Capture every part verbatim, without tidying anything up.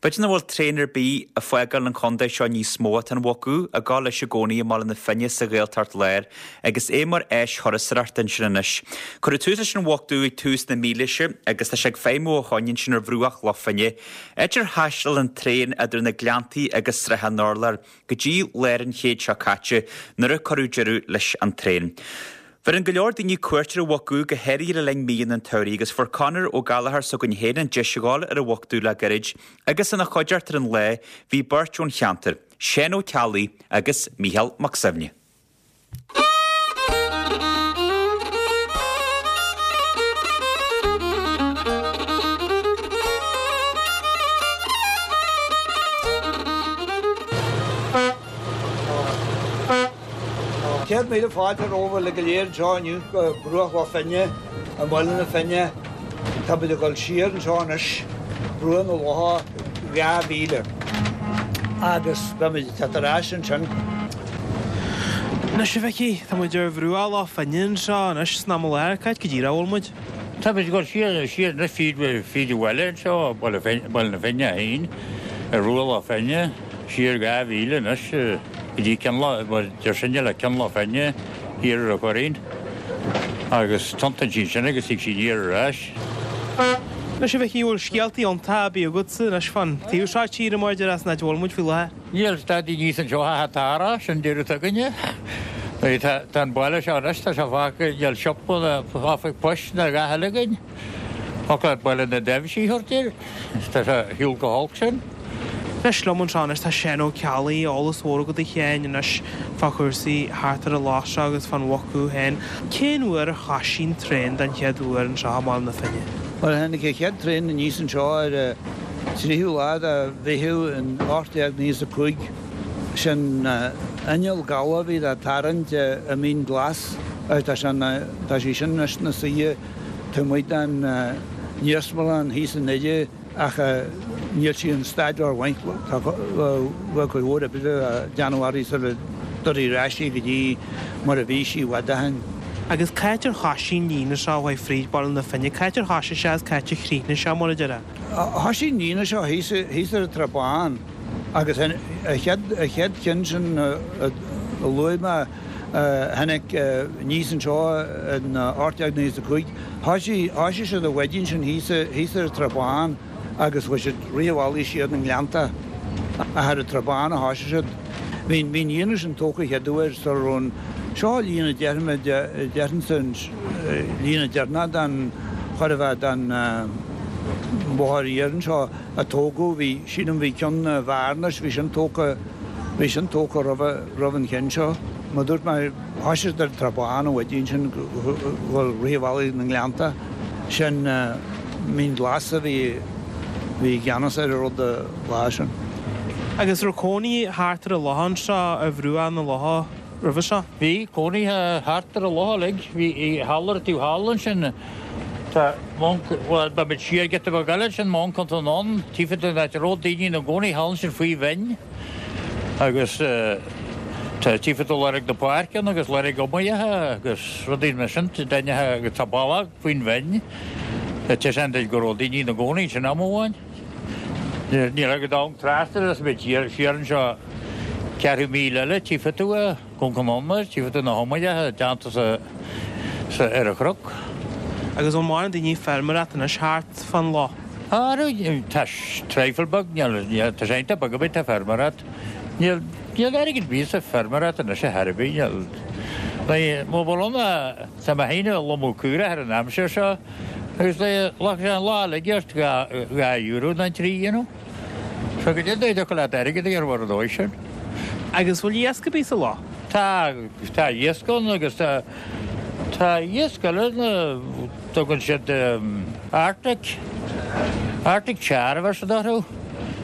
B'fhéidir nach bhfuil traein ar bith ag fágáil an chontae seo níos mó tá an Mhuc Dhubh ag gabháil leis i gcónaí i mBaile na Finne sa Ghaeltacht Láir agus é mar áis thurasóireachta ansin anois. Cuireadh tús leis an Mhuc Dhubh ag tús na mílaoise agus tá sé ag feidhmiú ó shoin ansin ar bhruach Loch Finne. Áit ar thaistil an traein idir na Gleanntaí agus Srath an Urláir go dtí lár an chéid seo caite nuair a cuireadh deireadh leis an traein. Bheireann go leor daoine cuairt ar an Mhuc Dhubh go háirithe le linn míonna an tsamhraidh agus fuair Conor Ó Gallchóir s'againn féin an deis a ghabháil ar an Mhuc Dhubh le gairid agus ina chuideachta ar an lá bhí beirt ón cheantar, Seán Ó Ceallaigh agus Mícheál Mac Suibhne. Céad míle fáilte romhaibh uilig go léir anseo inniu go Bruach Loch Finne i mBaile na Finne. Táimid ag dul siar anseo anois, Bruach na Locha dhá mhíle, agus beimid ag teacht ar ais ansin. Anois a Mhicí, tá muid ar bhruach Loch Finne anseo anois san am i láthair, cá háit go díreach a bhfuil muid? Táimid ag dul siar, siar anois fríd, fríd an bhaile anseo, Baile Baile na Finne féin, ar bhruach Loch Finne. Siar dhá mhíle anois go dtí Cionn Loch, mar deir sinne le Cionn Loch Finne thiar ar an Choirín agus tiontaíonn sí ansin agus tig sí aniar ar ais. Anois a Mhicí, bhfuil scéaltaí iontacha ar bith agatsa anois fán taobh seo tíre mar a déarfá san áit a bhfuil muid faoi láthair? Níl stadaí níos anseo ach an t-árach, sin deireadh againne. Tá an baile seo anois, tá sé fágtha, níl siopa ná oifig poist ná a dhath eile againn. Thiocfadh leat Baile na dTaibhsí a thabhairt air, tá sé ar shiúl chomh holc sin. Anois liom anseo anois tá Seán Ó Ceallaigh, eolas mhór agat a Sheáin anois fá chúrsaí thart ar an loch seo agus fán Mhuc Dhubh féin. Cén uair a thoisigh an traein den chéad uair anseo i mBaile na Finne? Bhuel, tháinig an chéad traein aníos anseo ar an tríú lá de Mheitheamh in ocht déag naocha is a cúig. Sin inneall gabha a bhí á tarraingt i Mín Glas agus tá sé, tá sí sin anois ina suí taobh amuigh den iarsmalann thíos i nDoire. Ach níl sí in staid rómhaith, tá bheadh cuid mhór oibre le déanamh uirthi sula dtabharfaí ar ais í go dtí mar a bhí sí i bhfad ó shin. Agus cá háit ar thoisigh an líne seo a chuaigh fríd Baile na Finne, cá háit ar thoisigh sé agus cá háit a chríochnaigh sé, mar a déarfá? Thoisigh an líne seo thíos thíos ar an Trá Bhán agus an chéad an chéad cheann sin a luaigh mé a tháinig aníos anseo in ocht déag naocha is a cúig. Thoisigh siad an mhaidin sin thíos ar an Trá Bhán agus chuaigh siad rith an bhealaigh siar na Gleannta. Ach ar an Trá Bhán a thoisigh siad. Bhí an líne sin tógtha an chéad uair sula raibh an, seo líne déarfainn, déarfainnse an líne deireanach den, chóir a bheith den bhóthar iarainn seo a tógadh. Bhí, sílim, bhí ceann i bhFearnais, bhí sin tógtha, bhí sin tógtha roimh an cheann seo. Mar a dúirt mé, thoisigh siad ar an Trá Bhán an mhaidin sin dhul rith an bhealaigh na nGleannta. Sin Mín Glas a bhí i gceannas ar an rud an lá sin. Agus raibh cónaí thart ar an loch anseo ar bhruach na locha roimhe seo? Bhí cónaí thart ar an loch uilig. Bhí thall ar an taobh thall ansin tá Móin, bhuel beidh muid siar giota beag eile ansin, Móin Contae anonn, taobh den áit a raibh daoine ina gcónaí thall ansin faoi bhinn. Agus tá tchífidh tú lorg na páirce ann agus lorg iomaíocha agus rudaí mar sin déanta agus tá bealach faoin bhinn le taispeáint duit go raibh daoine ina gcónaí ansin am amháin. Níl agat am trasna agus muid siar siar anseo ceathrú míle eile tchífidh tú é, Cúng an Iomaire, tchífidh tú na hiomaíocha déanta sa sa ar an chnoc. Agus an maireann daoine ag feirmeoireacht anois thart fán loch? Ara, tá traidhfil beag, níl, tá sé iontach beag ar bith, tá feirmeoireacht, níl, níl airgead ar bith sa feirmeoireacht anois ar chor ar bith, níl, má bhfuil ann, tá mé féin ag lomadh caorach ar an aimsir seo agus ghlacfadh sé an lá uilig ort dhá, dhá euro nó trí you know. So go dtí dtiocfadh leat airgead a dhéanamh ar an dóigh sin. Agus bhfuil iasc ar bith sa loch? Tá, tá iasc ann agus tá, tá iasc eile na, tugann siad Arctic, Arctic char a bheir siad orthu.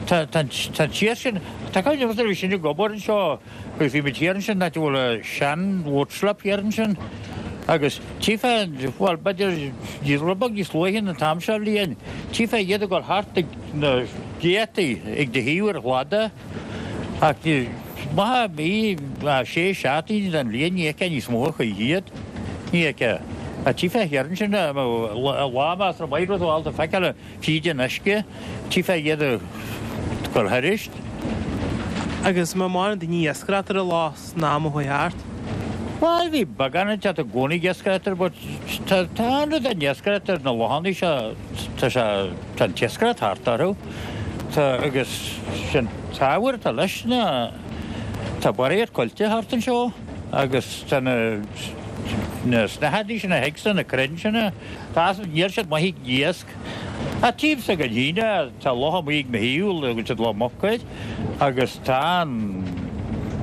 Tá, tá an, tá an t-iasc sin, tá cuimhne agam nuair a bhí sinn ag obair anseo agus bhí muid thiar ansin, áit a bhfuil an sean boat slip thiar ansin agus tchífeá, bhuel b'fhéidir rud beag níos luaithe ná an t-am seo bhliain, tchífeá iad ag dul thart ag na gcéadtaí ag do thaobh ar an chladach ach ní, maith mí, sé seachtaine den bhliain ní fheicfeá níos mó choíche iad, ní fheicfeá. Ach tchífeá thiar ansin lá measartha maith rud ábalta feiceáil fríd an uisce, tchífeá iad ag cur thairis. Agus an raibh mórán daoine ag iascaireacht ar an loch san am a chuaigh thart? Bhuel, bhí beagán ag teacht i gcónaí ag iascaireacht air, but tá tá an rud an iascaireacht ar na lochanna seo, tá sé, tá an t-iascaireacht thart orthu. Tá, agus sin t-ábhar atá leis ná tá barraíocht coillte thart anseo agus tá na na snáthaidí sin a thig sna na crainn sin, tá, níl siad maith ag iasc. Ach taobh s'againn féin, tá loch amuigh ag mo thaobh, a dtugann siad Loch Muc air, agus tá an,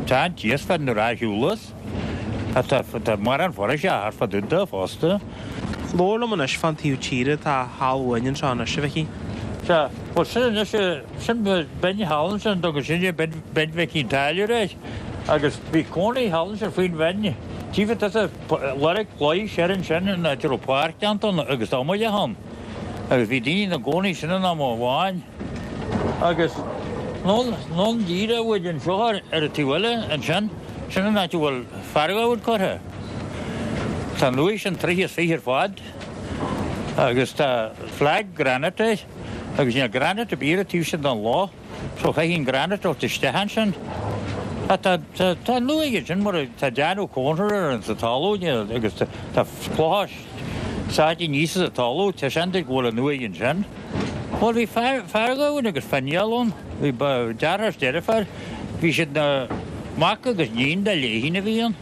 tá an t-iasc fad na ráithiúlas. Ach tá, tá mórán foraoise thart fá dtaobh de fosta. Labhair liom anois fán taobh tíre atá thall uainn anseo anois, a Mhicí. Sea, bhuel sin anois, sin binn thall ansin, a dtugann sinne Binn, Binn Mhic an Táilliúir air, agus bhí cónaí thall ansin faoin bhinn. Tchífidh tusa lorg claí siar ansin, an áit a raibh páirc déanta ann agus iomaire ann. Agus bhí daoine ina gcónaí ansin in am amháin. Agus anonn díreach uainn anseo ar an taobh eile ansin, sin an áit a bhfuil fear gabhann curtha. Tá an uaigh sin troithe is fiche ar fad agus tá flag granite air agus níl granite ar bith ar an taobh sin den loch so chaithfidh an granite a thabhairt isteach ansin. Tá tá tá an uaigh ansin mar tá déanamh cónra ar an sa talamh agus tá clocha sáite aníos sa talamh, tá seans go bhfuil an uaigh ansin. Bhuel, bhí fear gabhann agus Finial ann, bhí deartháir is deirfiúr, bhí siad na mac agus níon de Léithín a bhí ann.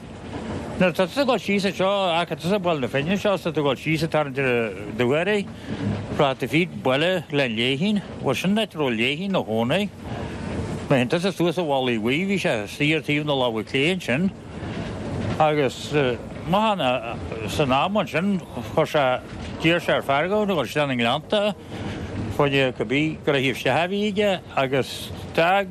Nuair atá tusa ag dul síos anseo, ach tá tusa ag Baile na Finne anseo, is tá tú ag dul síos ag tarraingt ar an Dúchoraidh, rachaidh tú fríd baile Ghleann Léithín, bhuel sin an áit a raibh Léithín ina chónaí. Má théann tusa suas an Mhullaigh Bhuí, bhí sé istigh ar taobh na láimhe clé ansin. Agus maith san am ansin chuir sé, d'iarr sé ar fear gabhann a dhul isteach na nGleannta fá choinne cibé gnoithí isteach a bhí aige agus d'fhág,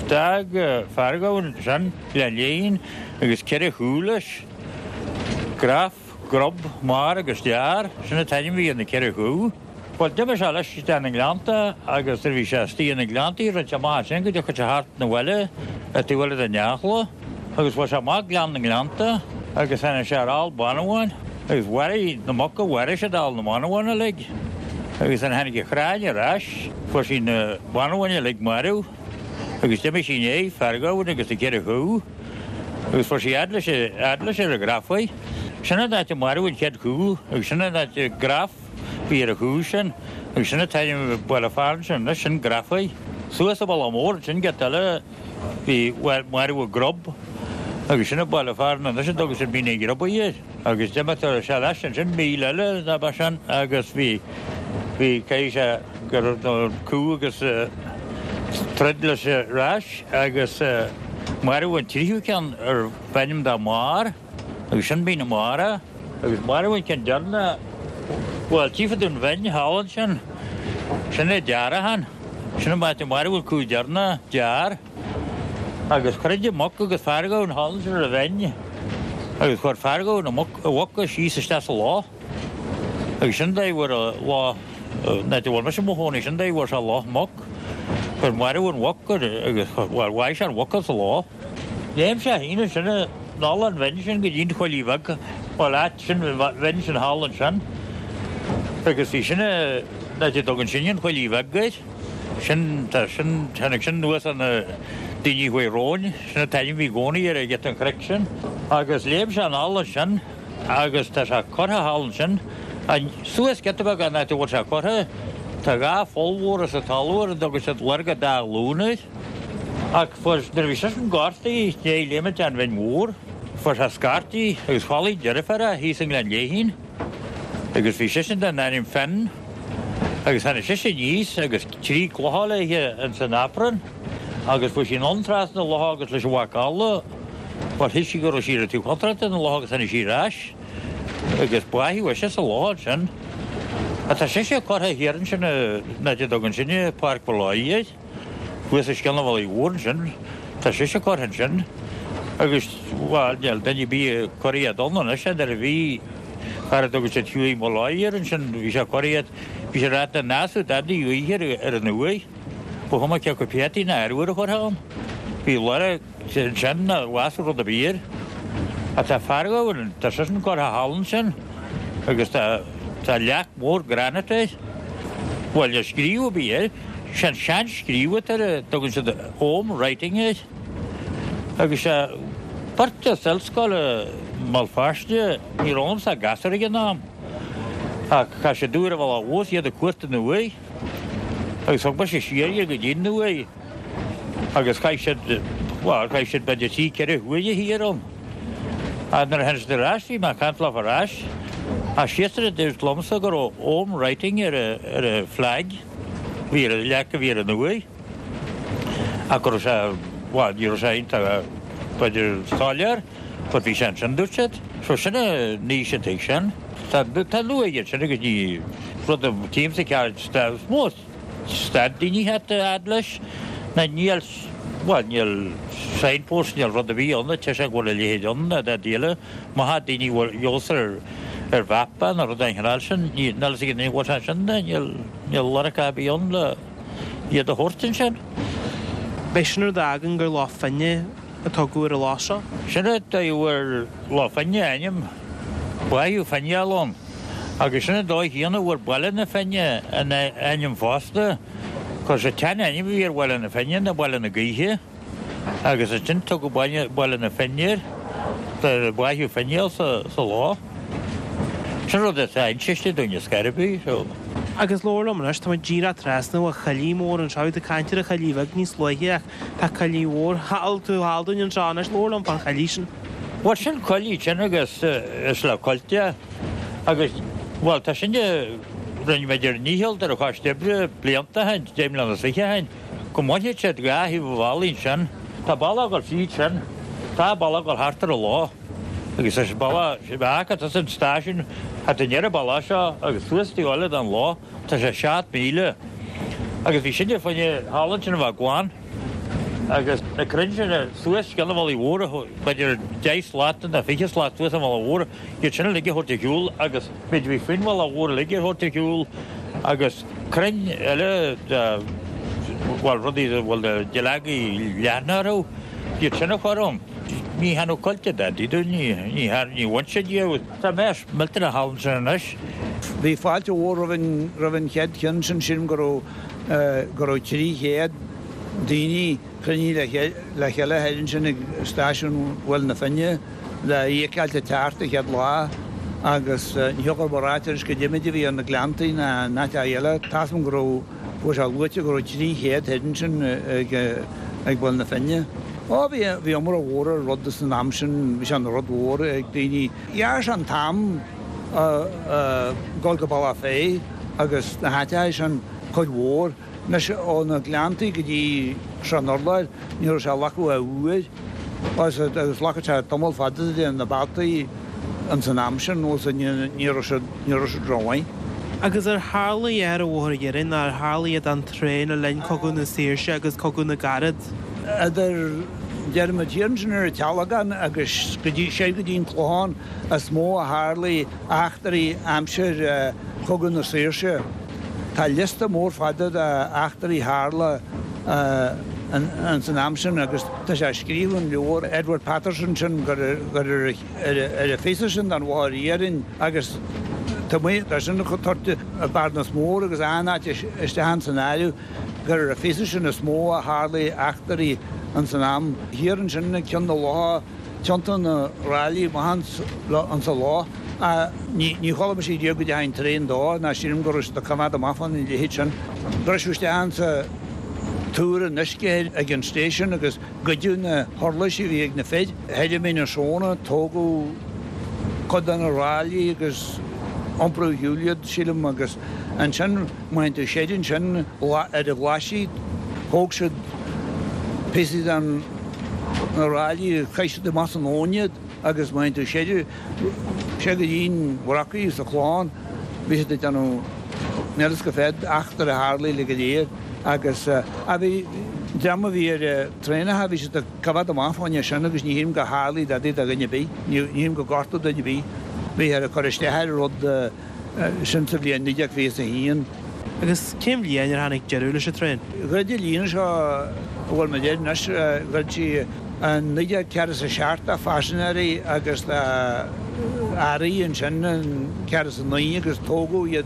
d'fhág fear gabhann ansin Gleann Léithín agus ceithre chú leis, Graf, Grub, Mar agus Dear, sin an t-ainm a bhí ar na ceithre chú. Bhuel, d'imigh sé leis isteach na nGleannta agus nuair a bhí sé istigh ina nGleanntaí rinne sé amach ansin go dtiocfadh sé thart 'na bhaile ar taobh eile den Eachla agus bhuail sé amach Gleann na nGleannta agus tháinig sé ar ál ban amháin agus mharaigh na muca, mharaigh siad ál na mban amháin uilig agus nuair a tháinig a chráin ar ais fuair sí na ban amháin uilig marbh agus d'imigh sí i ndiaidh fear gabhann agus na ceithre chú agus fuair sí fhad leis, fhad leis ar an Ghrafaigh. Sin an áit a maraíodh an chéad chú agus sin an áit a Graf. Bhí ar an chú sin agus sin an t-ainm baile fearainn sin anois, sin Grafaigh. Suas an Mullach Mór ansin giota eile bhí maraíodh Grub agus sin an baile fearainn anois a dtugann siad Mín an Ghrubaigh air. Agus d'imigh sé leis ansin míle eile ná ba sin agus bhí, bhí, caithfidh sé go raibh an cú agus troid leis ar ais agus maraíodh an tríú ceann arbh ainm dó Mar. Agus sin Mín na Mara. Agus maraíodh an ceann deireanach, bhuel, tchífidh tú an bhinn thall ansin, sin é Dearachán, sin an áit a maraíodh an cú deireanach, Dear. Agus throid an muc agus fear gabhann thall ansin ar an bhinn, agus chuir fear gabhann a muc, a mhuc síos isteach sa loch. Agus sin dóigh a bhfuair an loch, an áit a bhfuil mise i mo chónaí, sin dóigh a bhfuair sé Loch Muc. Chuir maraíodh an mhuc agus, bhuel, bháigh sé an mhuc sa loch. Léim sé féin ansin anall an bhinn sin go dtí an Choillidh Bheag, bhuel, áit sin, bhinn sin thall ansin. Agus bhí sin an áit a dtugann sinne an Choillidh Bheag air. Sin, tá sin, tháinig sin anuas ar na daoine a chuaigh romhainn, sin an t-ainm a bhí i gcónaí ar an ghiota an chnoic sin. Agus léim sé anall ansin agus tá sé curtha thall ansin, suas giota beag an áit a bhfuil sé curtha, tá dhá pholl mhóra sa talamh ar a dtugann siad lorg an dá ghlún air. Ach fuair, nuair a bhí seisean gortaithe i ndiaidh léimint den bhinn mhór, fuair sé scairtigh agus chodlaigh deirfiúr é thíos i nGleann Léithín agus bhí sise den ainm Finn agus tháinig sise aníos agus trí clocha léithe ins an aprún agus fuair sí anonn trasna an locha agus leis an mhac alla, bhuel shíl sí go raibh sí ar an taobh contráilte den loch agus tháinig sí ar ais agus báitheadh ise sa loch ansin. Ach tá sise curtha thiar ansin in áit a dtugann sinne Páirc Mholloy air. Thuas os cionn an Mhullaigh Mhór ansin, tá sise curtha ansin agus, bhuel, níl duine ar bith ag cur iad ann anois, nuair a bhí fear a dtugadh siad Hughie Molloy air ansin, bhí sé ag cur iad, bhí sé ag ráit nach n-ásfadh dadaí oíche ar an uaigh, ba chuma cé acu peataí ná arbhar a chuirfeá ann, bhí lorg ansin nach bhfásfadh rud ar bith air. Ach tá fear gabhann, tá seisean curtha thall ansin agus tá, tá leac mhór granite air, bhuel, níl scríobh ar bith air. Sé an seanscríobh atá air, tugann siad Ogham writing air. Agus sé beirt as ollscoil i mBéal Feirste, ní raibh ionamsa ach gasúr ag an am, ach chaith siad uair ar an bhealach abhus iad ag cuartú na huaighe. Agus thug mise siar iad go dtí an uaigh agus chaith siad, bhuel, chaith siad b'fhéidir trí, ceithre huaire thiar ann. Ach nuair a tháinig siad ar ais, bhí mé ag caint leo ar ais, ach siadsan a dúirt liomsa go raibh Ogham writing ar a, ar a flag. Bhí ar an leac a bhí ar an uaigh ach go raibh sé, bhuel, ní raibh sé iontach, b'fhéidir, soiléir, but bhí sé ansin, dúirt siad. So sin an aois an tigh sin. Tá, tá an uaigh ansin agus ní rud a tchímse ceart, is mó stad daoine a fhad leis ná níl, bhuel, níl signpost, níl rud ar bith ann a deir go bhfuil a leithéid ann ná dá díola. Má tá daoine bhfuil eolas ar ar mhapa nó rud den chineál sin, níl a fhios ag aon duine go bhfuil sé ansin, níl, níl lorg ar bith ann le iad a thabhairt ansin. B'é sin rud a fhágann gur Loch Finne a tugadh ar an loch seo. Sin an dóigh a bhfuair Loch Finne a ainm, báitheadh fineáil ann, agus sin an dóigh chéanna a bhfuair Baile na Finne a ainm fosta, 'cause an tsean-ainm a bhí ar Bhaile na Finne ná Baile na Gaoithe. Agus ansin tugadh Baile na Finne air, de bháitheadh fineáil sa loch. Sin rud atá insiste dúinn ar scor ar bith, so. Agus labhair liom anois, tá muid díreach trasna ó choillidh mhór anseo, bhí tú ag caint ar an choillidh bheag níos luaithe ach tá coillidh mhór thall taobh thall dúinn anseo anois, labhair liom fán choillidh sin. Bhuel, sin coillidh sin agus is le coillte agus, bhuel, tá sin, rinne muid ár ndícheall ar an Choiste Oibre blianta ó shin, deich mbliana is fiche ó shin, go mbainfeadh siad dhá thaobh an bhealaigh ansin. Tá bealach ag dul fríd sin, tá bealach ag dul thart ar an loch agus is bealach, ach tá an stáisiún thart i ndeireadh an bealach seo agus suas taobh eile den loch, tá sé seacht míle. Agus bhí sinne fá choinne thall ansin a bheith glan agus na crainn sin suas cionn an bhealaigh mhór, b'fhéidir deich slat nó fiche slat suas an bhealaigh mhór, iad sin uilig a thabhairt ar shiúl agus méid a bhí faoin bhealach mhór uilig a thabhairt ar shiúl agus crainn eile de, bhuel, rudaí a bhfuil na duilleogaí leathana orthu, iad sin a chur ann. Ní théann coillte dadaí dúinn, ní, ní, ní bhain siad díobh. Tá mess millteanach thall ansin anois. Bhí fáilte mhór roimh an, roimh an chéad cheann sin, sílim go raibh, go raibh trí chéad daoine cruinnithe le, le chéile thoir ansin ag stáisiún Bhaile na Finne le iad a fheiceáilt ag teacht an chéad lá agus ní thiocfadh liom a ráit anois goidé méid a bhí ar na Gleanntaí ná in áiteacha eile. Tá's agam go raibh, go raibh sé luaite go raibh trí chéad thoir ansin ag, ag Baile na Finne. Ó bhí, bhí iomrá mhór ar rud san am sin, bhí sé ina rud mhór ag daoine. Ghearr sé an t-am dul go Bealach Féich agus na háiteacha sin cuid mhór. Anois ó na Gleanntaí go dtí Srath an Urláir ní raibh sé ag glacadh ach uair agus ghlacadh sé tamall fada de na bealtaí ins an am sin nó ní raibh siad ní raibh siad rómhaith. Agus ar tharla a dhath ar an Bhóthar Iarainn nó ar tharla a dhath don traein le linn Cogadh na Saoirse agus Cogadh na gCarad? Idir déarfaimid thiar ansin ar an Tealgán agus go dtí soir go dtí an Clochán is mó a tharlaigh eachtraí aimsir Chogadh na Saoirse. Tá liosta mór fada de eachtraí tharla ins an am sin agus tá sé scríofa in leabhar Edward Patterson sin gur ar an phíosa sin den Bhóthar Iarainn agus tá sin tugtha i Bearnas Mór agus achan áit isteach ins an áireamh gur ar an phíosa sin is mó a tharlaigh eachtraí ins an am. Thiar ansin ag Ceann na Locha tiontaíodh na ráillí amach ins an loch. Ní chuala mise riamh go dteachaigh an traein dó ná sílim go raibh siad ag coimeád amach fána leithéid sin. Briseadh isteach insa túr an uisce ag an station agus goideadh na huirlisí a bhí ag na fir. Thoir i Mín na Sróna tógadh cuid de na ráillí agus iompraíodh ar shiúl iad, sílim, agus ansin má théann tú soir ansin ar an Ghlaisigh thóg siad píosaí de na ráillí, chaith siad amach san abhainn iad agus má théann tú soir soir go dtí an Bhrocaigh sa Chlochán bhí siad ag déanamh níl fhios cá mhéad eachtra a tharlaigh le go léir agus a bhí dream a bhí ar traenacha bhí siad ag coimhéad amach fá choinne sin agus ní shílim go tharlaigh dadaí do dhuine ar bith, ní shílim go gortaíodh duine ar bith. Bhíthear ag cur isteach ar an rud sin sa bhliain naoi déag fiche is a haon. Agus cén bhliain ar tháinig deireadh leis an traein? Dhruid an líne seo a bhfuil muid air anois, dhruid sí in naoi déag ceathracha is a seacht do phaisinéirí agus do earraí ansin in ceathracha is a naoi agus tógadh iad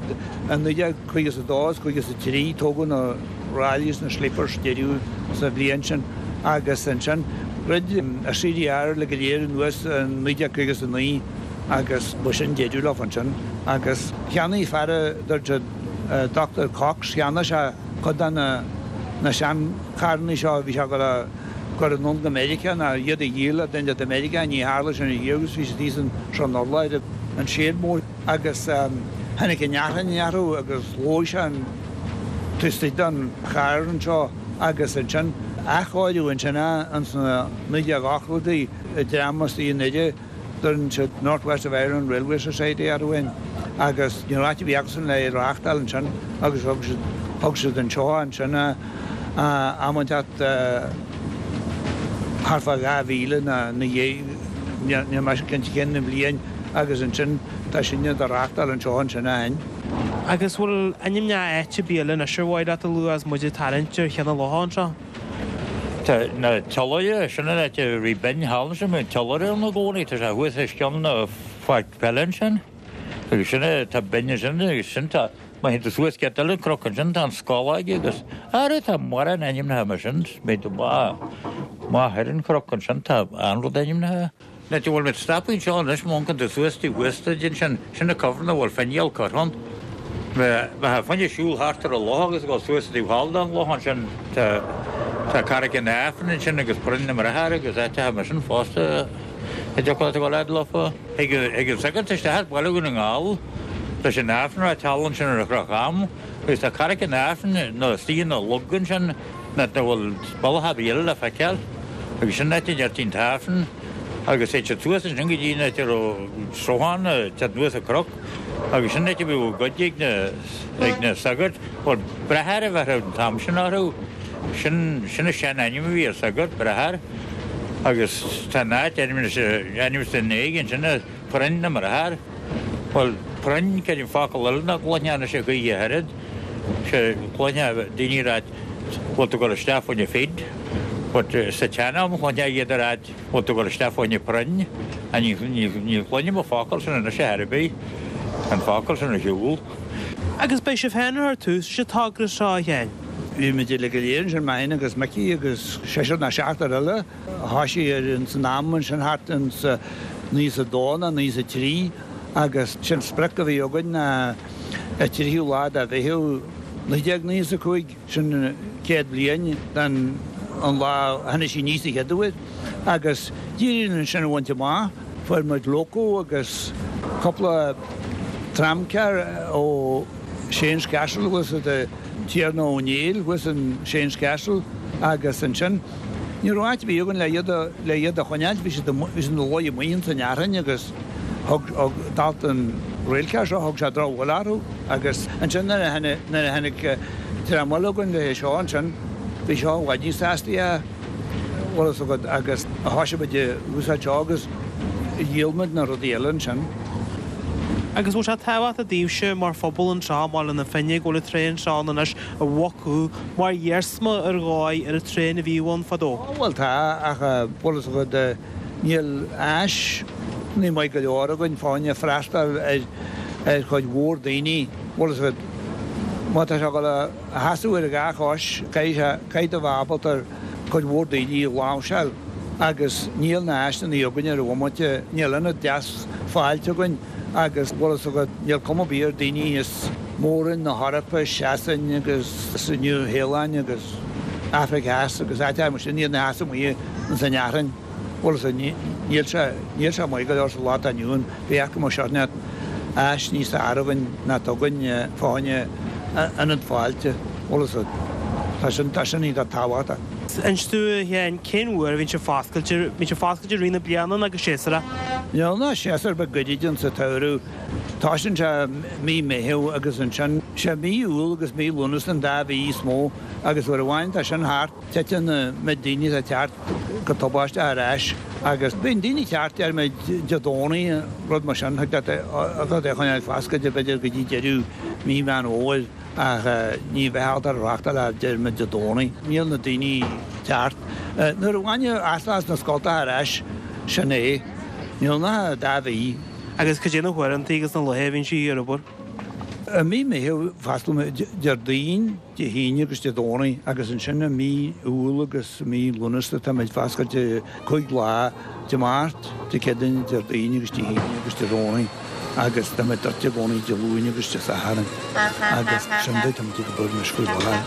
in naoi déag caoga is a dó is caoga is a trí, tógadh na Raleighs na sleepers deireadh sa bhliain sin agus ansin dhruid an CDR le go léir anuas in naoi déag caoga is a naoi agus ba sin deireadh leo ansin agus cheannaigh fear a dúirt siad Doctor Cox cheannaigh sé cuid de na na seancharrannaí seo bhí sé ag dul a chur anonn go Meiriceá ná iad a dhíol le duine i Meiriceá ní tharla sin riamh agus bhí siad thíos anseo in urlár an seid mór agus tháinig an fhearthainn orthu agus dhóigh sé an taobh istigh den charr anseo agus ansin athchóiriú ansin ins na naoi déag ochtóidí i dream as i nDoire deireann siad North West of Ireland Railway Society orthu féin agus ní raibh áit ar bith acusan le é reáchtáil ansin agus thug siad thug siad anseo ansin am inteacht thart fá dhá mhíle ná na dhiaidh níl mise cinnte cén bhliain agus ansin tá sinne do reáchtáil anseo ansin ó shin. Agus bhfuil ainmneacha áit ar bith eile anois ar mhaith leat a lua agus muid ag tarraingt ar Cheann an Locha anseo? Tá na Tiollaire, sin an áit a bhí binn thall ansin, bhí an Tiollaire ann i gcónaí, tá sé thuas os cionn na pháirc peile ansin. Agus sin é, tá binn ansin agus sin tá, má théann tú suas giota eile an cnoc ansin tá an Scológ agus, ara tá mórán ainmneacha mar sin, méid maith, maith ar an chnoc ansin tá an-rud ainmnithe. An áit a bhfuil muid stoptha anseo anois, má amharcann tú suas taobh thuas duit ansin, sin an cuibhreann a bhfuil finial curtha ann. Bheifeá fá choinne siúl thart ar an loch agus ag dul suas taobh thall den loch ansin, tá tá Carraig an Aifrinn ansin agus Broinn na mBráthair agus áiteacha mar sin fosta a dtiocfadh leat a dhul fhad leofa. Thig thig an sagart isteach as Baile Dhún na nGall leis an Aifreann a ráit thall ansin ar an Chnoc Am agus tá Carraig an Aifrinn nó istigh ina log ansin nach bhfuil bealach ar bith eile le feiceáil agus sin an áit a ndeirtí an tAifreann agus théid siad suas ansin go dtí an áit a raibh sruthán ag teacht anuas an cnoc agus sin an áit a bhíodh goid ag na ag na sagairt. Bhuel, bráthair a bheadh an t-am sin orthu. Sin sin an sean-ainm a bhí ar sagart, bráthair. Agus tá an áit ainmnithe ainmnithe ina dhiaidh ansin, Proinn na mBráthar. Bhuel, proinn, creidim focal eile nach gcloisfeá anois a choíche ach oiread. Sé chluinfeá daoine ag ráit bhfuil tú ag dul isteach fá choinne feed. But sa tsean-am chluinfeá iad ag ráit bhfuil tú ag dul isteach fá choinne proinn. Ní ní chluinim an focal sin anois ar chor ar bith. An focal sin ar shiúl. Agus beidh sibh féin ar tús sa togra seo, a Sheáin. Bhí muid uilig go léir ansin, mé féin agus Micí agus seisear nó seachtar eile a thoisigh ar ins an am ansin thart ins naoi is a dó nó naoi is a trí agus sin sprioc a bhí againn ná an tríú lá de Mheitheamh naoi déag naoi is a cúig, sin céad bliain den an lá a tháinig sí aníos an chéad uair agus d'éirigh linn sin a bhaint amach. Fuair muid loco agus cúpla tramcar ó Shane's Castle thuas i Tiarna Ó Néill thuas in Shane's Castle agus ansin ní raibh áit ar bith againn le iad a le iad a choinneáil, bhí siad bhí siad ina luí amuigh ins an fhearthainn agus thug thug dalta an railcar seo thug sé drochbhuille orthu agus ansin nuair a tháinig nuair a tháinig dream eile againn le seo ansin bhí seo i bhfad níos astaí a bhfuil fhios agat agus thoisigh muid ag úsáid seo agus dhíol muid na rudaí eile ansin. Agus bhfuil sé tábhachtach daoibhse mar phobal anseo i mBaile na Finne go bhfuil an traein seo ann anois a Mhac mar iarsma ar dhóigh ar an traein a bhíodh ann fadó? Bhuel tá, ach bhfuil fhios agat níl áis ní maith go leor againn fá choinne freastal ar ar chuid mhór daoine. Bhfuil fhios agat má tá sé ag dul a sheasamh ar a dhá chois caithfidh sé caithfidh tú a bheith ábalta ar cuid mhór daoine a láimhseáil agus níl na háiseanna againn ar an bhomaite, níl ionad deas fáilte againn. Agus bhfuil fhios agat, níl cuma ar bith ar daoine as Mór-Roinn na hEorpa, Sasain agus an Nua-Shéalainn agus Afraic Theas agus áiteacha mar sin, iad ina seasamh amuigh ins an fhearthainn. Bhfuil fhios agat, níl sé, níl sé maith go leor sa lá atá inniu ann. Bheadh go mbeadh seort áis níos fearr againn ná atá againn fá choinne ionad fáilte. Bhfuil fhios agat, tá sin, tá sin iontach tábhachtach. Inis dúinn, a Sheáin, cén uair a bhíonn sibh foscailte? Bíonn sibh foscailte i rith na bliana nó go séasúrach? Níl ná séasúr beag goirid ann sa tsamhradh. Toisíonn sé mí Meitheamh agus ansin sé mí Iúil agus mí Lúnasa an dá mhí is mó agus uair amháin tá sin thart titeann an méid daoine atá ag teacht go tubaisteach ar ais agus bíonn daoine ag teacht déarfaidh muid Dé Domhnaigh rud mar sin thig leat é a choinneáil foscailte b'fhéidir go dtí deireadh mí Mheán Fhómhair. Ach ní bheifeá ábalta reáchtáil ach déarfaidh muid Dé Domhnaigh. Níl na daoine ceart. Nuair a bhaineadh as na scoltacha ar ais, sin é. Níl ach dá mhí. Agus cad é na huaireanta agus na laetha a bhíonn sí ar obair? I mí Meitheamh fosclaímid Déardaoin, Dé hAoine agus Dé Domhnaigh agus ansin i mí Iúil agus mí Lúnasa táimid foscailte cúig lá, Dé Máirt, Dé Céadaoine, Déardaoin agus Dé hAoine agus Dé Domhnaigh agus táimid druidte i gcónaí Dé Luain agus Dé Sathairn agus sin dóigh táimid ag obair anois faoi láthair.